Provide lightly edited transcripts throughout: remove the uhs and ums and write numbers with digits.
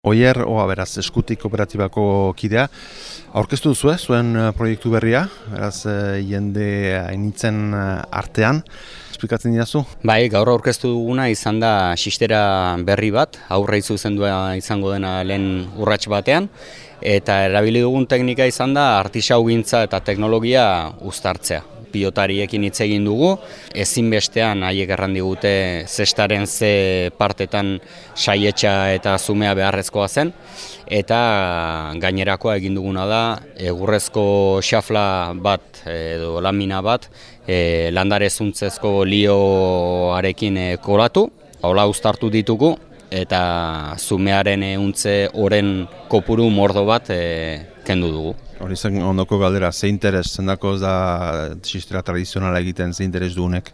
Oier, beraz, Eskutik kooperatibako kidea. Aurkeztu duzu, zuen proiektu berria, beraz, jende hainitzen artean. Esplikatzen didazu? Bai, gaur aurkeztu duguna izan da xistera berri bat, aurre zuzendua izango dena lehen urrats batean, eta erabili dugun teknika izan da artisaugintza eta teknologia uztartzea. Pilotariekin hitz egin dugu, ezinbestean haiek erran digute zestaren ze partetan saietxa eta zumea beharrezkoa zen, eta gainerakoa egin duguna da egurrezko xafla bat edo lamina bat landare zuntzezko lioarekin kolatu, hola uztartu ditugu, eta zumearen untze oren kopuru mordo bat kendu dugu. Hori zen ondoko galdera, ze interes, zendako da xistera tradizionala egiten, ze interes dugunek?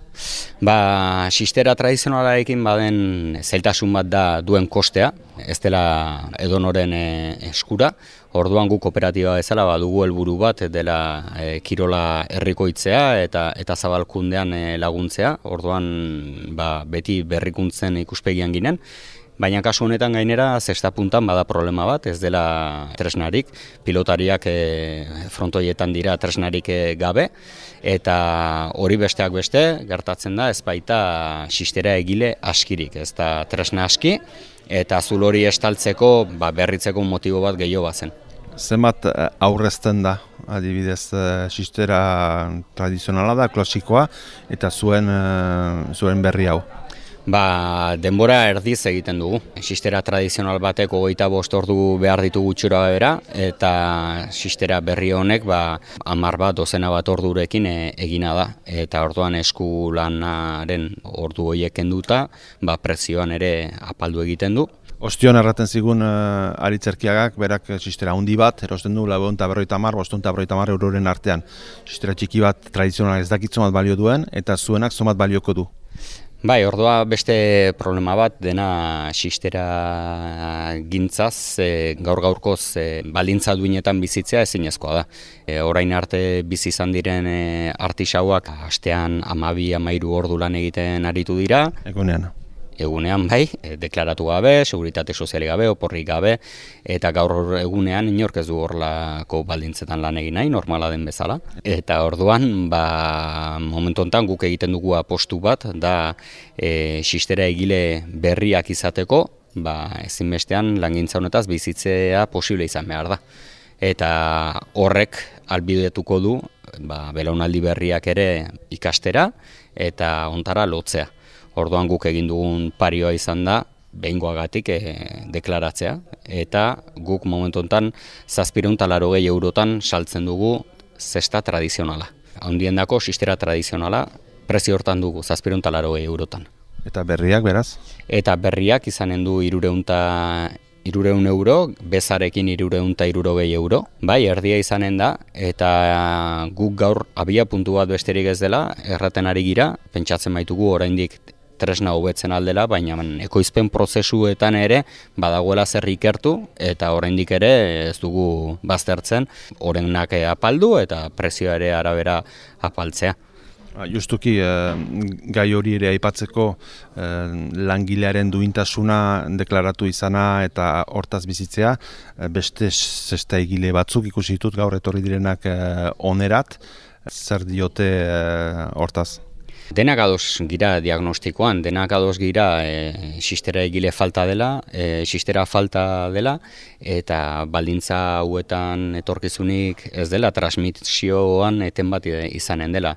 Xistera tradizionalarekin baden zailtasun bat da duen kostea, ez dela edonoren eskura. Orduan gu kooperatiba bezala badugu helburu bat dela kirola herrikoitzea eta zabalkundean laguntzea. Orduan beti berrikuntzen ikuspegian ginen. Baina kasu honetan gainera zesta puntan bada problema bat, ez dela tresnarik, pilotariak frontoietan dira tresnarik gabe, eta hori besteak beste gertatzen da ez baita xistera egile askirik, ez da tresna aski, eta zul hori estaltzeko berritzeko motibo bat gehiago bazen. Zenbat aurrezten da, adibidez, xistera tradizionala da, klasikoa, eta zuen berri hau? Denbora erdiz egiten dugu. Xistera tradizional batek 25 ordu behar ditugu txura bera, eta xistera berri honek 10 bat, dozena bat ordurekin egina da. Eta orduan esku lanaren ordu horiek kenduta, prezioan ere apaldu egiten du. Ostion erraten zigun Aritzerkiagak, berak xistera handi bat, erosten du 450–550 euroren artean. Xistera txiki bat tradizional ez dakit zomat balio duen, eta zuenak zomat balioko du. Ordua beste problema bat dena xistera gintzaz, gaur-gaurkoz baldintza duinetan bizitzea ezinezkoa da. Orain arte bizi izan diren artisauak astean 12–13 ordu lan egiten aritu dira. Egunean deklaratu gabe, seguritate sozialik gabe, oporrik gabe, eta gaur egunean inork ez du horrelako baldintzetan lan egin nahi, normala den bezala. Eta orduan, momentu honetan guk egiten dugu apostu bat, da xistera egile berriak izateko, ezinbestean langintza honetaz bizitzea posible izan behar da. Eta horrek albidetuko du, belaunaldi berriak ere ikastera, eta ontara lotzea. Orduan guk egin dugun parioa izan da, behingoagatik deklaratzea, eta guk momentu honetan 780 eurotan saltzen dugu zesta tradizionala. Handiendako xistera tradizionala prezio hortan dugu 780 eurotan. Eta berriak beraz? Eta berriak izanen du 300 euro, bezarekin 360 euro. Erdia izanen da, eta guk gaur abia puntu bat besterik ez dela, erraten ari gira, pentsatzen baitugu oraindik tresna hobetzen aldela, baina ekoizpen prozesuetan ere badagoela zer ikertu, eta oraindik ere ez dugu baztertzen, orenak apaldu eta prezioa ere arabera apaltzea. Justuki, gai hori ere aipatzeko langilearen duintasuna deklaratu izana eta hortaz bizitzea, beste zesta egile batzuk ikusi ditut gaur etorri direnak onerat, zer diote hortaz? Denak ados gira diagnostikoan, denak ados gira xistera egile falta dela, eta baldintza hauetan etorkizunik ez dela, transmisioan eten bat izanen dela.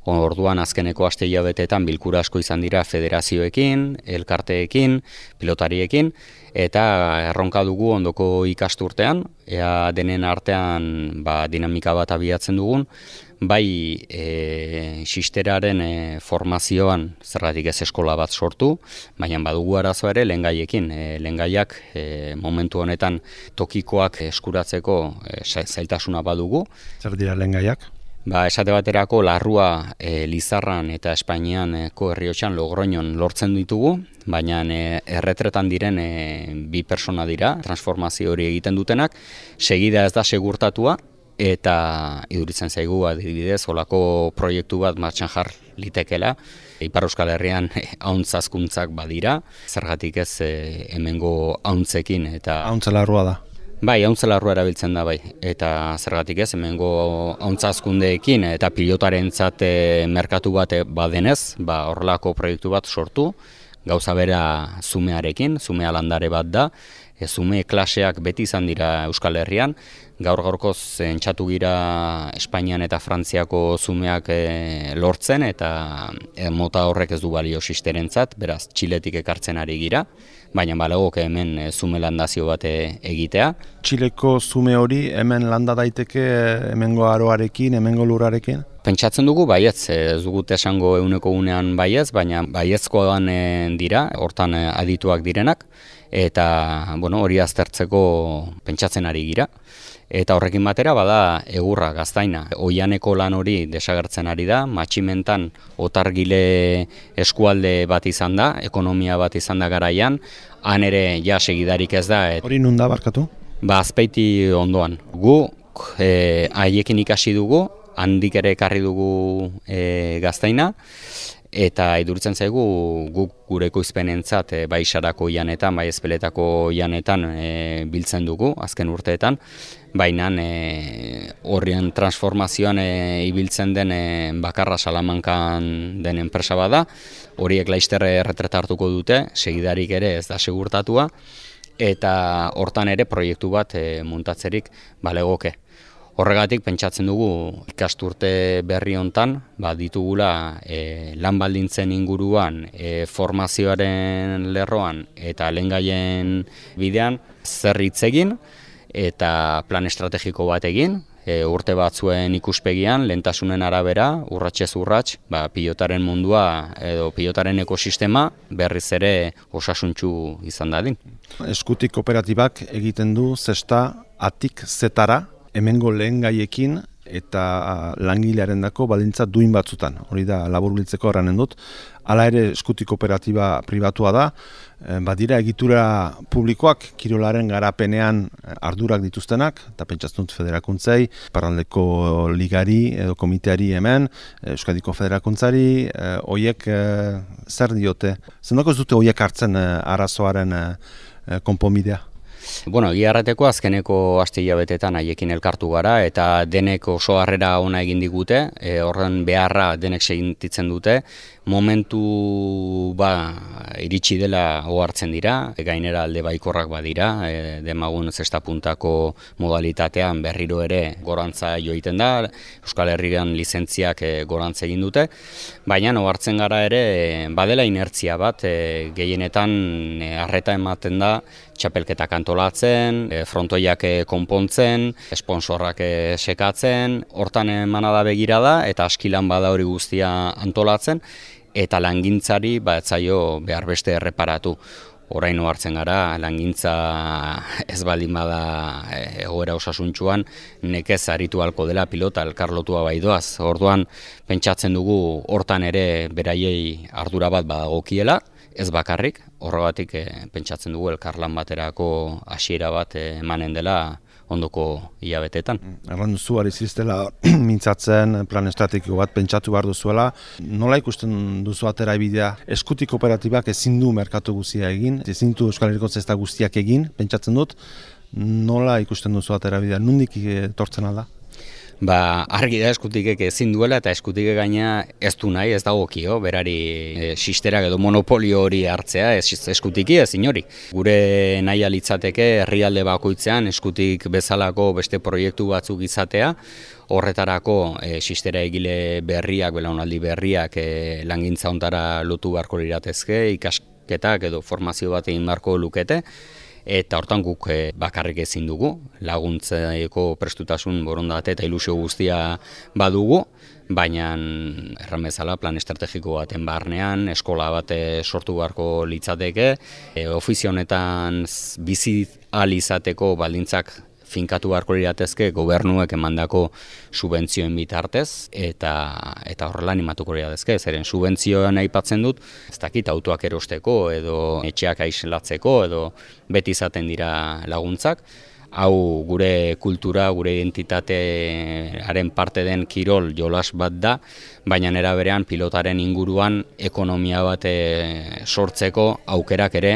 Orduan azkeneko aste hilabeteetan bilkura asko izan dira federazioekin, elkarteekin, pilotariekin, eta erronka dugu ondoko ikasturtean, ea denen artean dinamika bat abiatzen dugun, xisteraren formazioan zergatik ez eskola bat sortu, baina badugu arazoa ere lehengaiekin. Lehengaiak momentu honetan tokikoak eskuratzeko zailtasuna badugu. Zer dira lehengaiak? Esate baterako larrua Lizarran eta Espainiako Herriotxan Logroñon lortzen ditugu, baina erretretan diren 2 pertsona dira, transformazio hori egiten dutenak, segida ez da segurtatua, eta iduritzen zaigu adibidez olako proiektu bat martxan jar litekela. Ipar Euskal Herrian ahuntzazkuntzak badira, zergatik ez hemengo ahuntzekin eta Ahuntzela da. Bai, ahuntzela erabiltzen da bai, eta zergatik ez, hemengo ahuntzazkundeekin eta pilotarentzat merkatu bat badenez, horrelako proiektu bat sortu, gauza bera zumearekin, zumea landare bat da, zume klaseak beti izan dira Euskal Herrian, gaur-gaurkoz entxatu gira Espainian eta Frantziako zumeak lortzen, eta mota horrek ez du balio sisterentzat, beraz Txiletik ekartzen ari gira, baina balegoke hemen zume landazio bat egitea. Txileko zume hori hemen landa daiteke hemengo aroarekin, hemengo lurrarekin? Pentsatzen dugu baietz, ez dugut esango euneko unean baietz, baina baiezkoan dira, hortan adituak direnak, eta hori aztertzeko pentsatzen ari gira. Eta horrekin batera bada Egurra, Gaztaina. Oianeko lan hori desagertzen ari da, Matximentan otargile eskualde bat izan da, ekonomia bat izan da garaian, han ere ja segidarik ez da. Hori nun da barkatu? Azpeiti ondoan. Guk haiekin ikasi dugu, handik ere ekarri dugu Gaztaina, eta iduritzen zaigu guk gure ekoizpenentzat bai Sarako janetan, bai Ezpeletako janetan biltzen dugu azken urteetan, baina horrien transformazioan ibiltzen den bakarra Salamankan den enpresa bada, horiek laster erretreta hartuko dute, segidarik ere ez da segurtatua, eta hortan ere proiektu bat muntatzerik balegoke. Horregatik pentsatzen dugu ikasturte berri hontan ditugula lan baldintzen inguruan, formazioaren lerroan eta lehengaien bidean zer hitz egin eta plan estrategiko bat egin, urte batzuen ikuspegian, lehentasunen arabera, urratsez urrats, pilotaren mundua edo pilotaren ekosistema berriz ere osasuntsu izan dadin. Eskutik kooperatibak egiten du zesta atik zetara, hemengo lehen gaiekin eta langilearendako baldintza duin batzutan. Hori da laburbiltzeko erranen dut. Hala ere eskutik kooperatiba pribatua da, badira egitura publikoak kirolaren garapenean ardurak dituztenak, eta pentsatzen dut federakuntzei, Iparraldeko ligari edo komiteari hemen, Euskadiko federakuntzari, hoiek zer diote? Zendako ez dute hoiek hartzen arazoaren konponbidea? Egia errateko azkeneko aste hilabetetan haiekin elkartu gara eta denek oso harrera ona egin digute, horren beharra denek sentitzen dute, momentu iritsi dela ohartzen dira, gainera alde baikorrak badira, demagun zesta puntako modalitatean berriro ere gorantza joiten da, Euskal Herrian lizentziak gorantza egin dute, baina ohartzen gara ere badela inertzia bat, gehienetan arreta ematen da txapelketak antolatzen, frontoiak konpontzen, esponsorrak sekatzen, hortan emana da begirada eta askilan bada hori guztia antolatzen, eta langintzari etzaio behar beste erreparatu. Orain hartzen gara, langintza ez baldin bada egoera osasuntsuan, nekez aritu halko dela pilota elkarlotua baidoaz. Orduan pentsatzen dugu hortan ere beraiei ardura bat badagokiela, ez bakarrik, horregatik pentsatzen dugu elkarlan baterako hasiera bat emanen dela ondoko hilabetetan. Erran duzu, ari ziztela mintzatzen, plan estrategiko bat pentsatu behar duzuela. Nola ikusten duzu atera bidea? Eskutik kooperatibak ezin du merkatu guztia egin, ezin du Euskal Herriko zesta guztiak egin, pentsatzen dut. Nola ikusten duzu atera bidea? Nondik etortzen alda? Argi da eskutikek ezin duela eta eskutikek gaina ez du nahi, ez dagokio, berari sisterak edo monopolio hori hartzea, eskutiki ez inori. Gure nahi litzateke herrialde bakoitzean eskutik bezalako beste proiektu batzuk izatea, horretarako sistera egile berriak, belaunaldi berriak langintza hontara lotu beharko liratezke, ikasketak edo formazio bat egin beharko lukete, eta hortan guk bakarrik ezin dugu, laguntzeko prestutasun borondate eta ilusio guztia badugu, baina erran bezala plan estrategiko baten barnean, eskola bat sortu beharko litzateke, ofizio honetan bizi ahal izateko baldintzak finkatu beharko liratezke gobernuek emandako subentzioen bitartez eta horrela animatuko liratezke, zeren subentzioan aipatzen dut, ez dakit autoak erosteko edo etxeak aislatzeko edo beti izaten dira laguntzak. Hau gure kultura, gure identitatearen parte den kirol jolas bat da, baina era berean pilotaren inguruan ekonomia bat sortzeko aukerak ere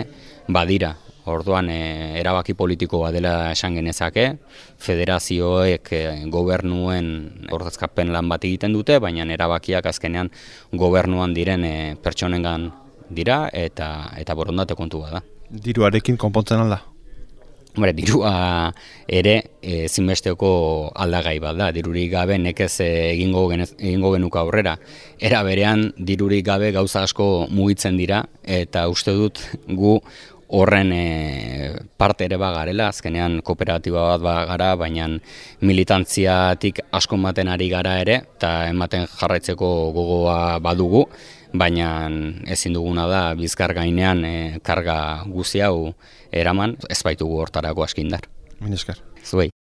badira. Orduan erabaki politiko bat dela esan genezake, federazioek gobernuen ordezkapen lan bat egiten dute, baina erabakiak azkenean gobernuan diren pertsonengan dira eta borondate kontu bat da. Diruarekin konpontzen alda? Hombre, dirua ere zinbesteko aldagai bat da. Dirurik gabe nekez egingo genuka aurrera. Era berean dirurik gabe gauza asko mugitzen dira eta uste dut gu horren parte ere bagarela, azkenean kooperatiba bat bagara, baina militantziatik asko ematen ari gara ere, eta ematen jarraitzeko gogoa badugu, baina ezin duguna da bizkar gainean karga guzti hau eraman, ez baitugu hortarako askindar. Mila esker. Zuei.